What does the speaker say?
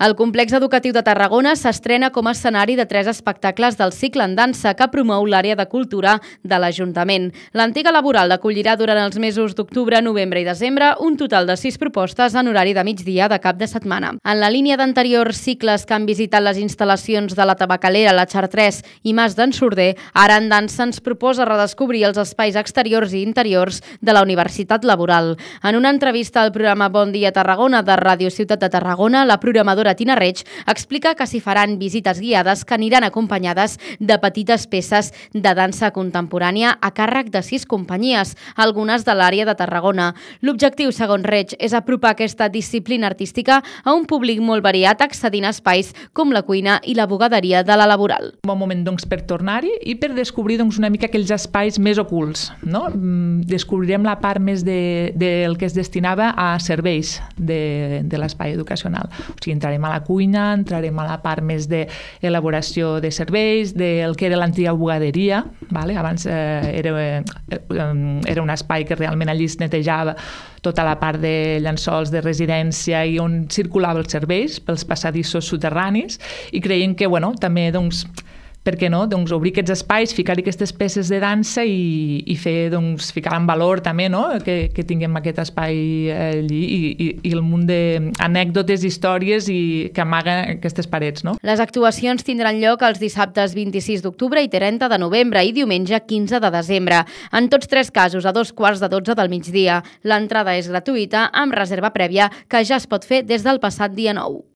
El complex educatiu de Tarragona s'estrena com a escenari de 3 espectacles del cicle en dansa que promou l'àrea de cultura de l'Ajuntament. L'antiga laboral acollirà durant els mesos d'octubre, novembre i desembre un total de 6 propostes en horari de migdia de cap de setmana. En la línia d'anteriors cicles que han visitat les instal·lacions de la Tabacalera, la Chartres i Mas d'en Surder, ara en dansa ens proposa redescobrir els espais exteriors i interiors de la Universitat Laboral. En una entrevista al programa Bon Dia Tarragona de Ràdio Ciutat de Tarragona, la programadora Tina Reig explica que s'hi faran visites guiades que aniran acompanyades de petites peces de dansa contemporània a càrrec de 6 companyies, algunes de l'àrea de Tarragona. L'objectiu, segons Reig, és apropar aquesta disciplina artística a un públic molt variat, accedint a espais com la cuina i la bugaderia de la Laboral. Un bon moment per tornar-hi i per descobrir una mica aquells espais més ocults. No? Descobrirem la part més del que es destinava a serveis de l'espai educacional. O sigui, entrarem a la cuina, entrarem a la part més d'elaboració de serveis, del que era l'antiga bugaderia. Vale? Abans era un espai que realment allí es netejava tota la part de llençols de residència i on circulava els serveis pels passadissos soterranis i creiem que també per què no? Obrir aquests espais, ficar-hi aquestes peces de dansa i fer, ficar en valor també, no? Que tinguem aquest espai allí i el munt d'anècdotes, històries que amaguen aquestes parets. No? Les actuacions tindran lloc els dissabtes 26 d'octubre i 30 de novembre i diumenge 15 de desembre. En tots 3 casos, a 2:15 del migdia. L'entrada és gratuïta amb reserva prèvia que ja es pot fer des del passat dia 9.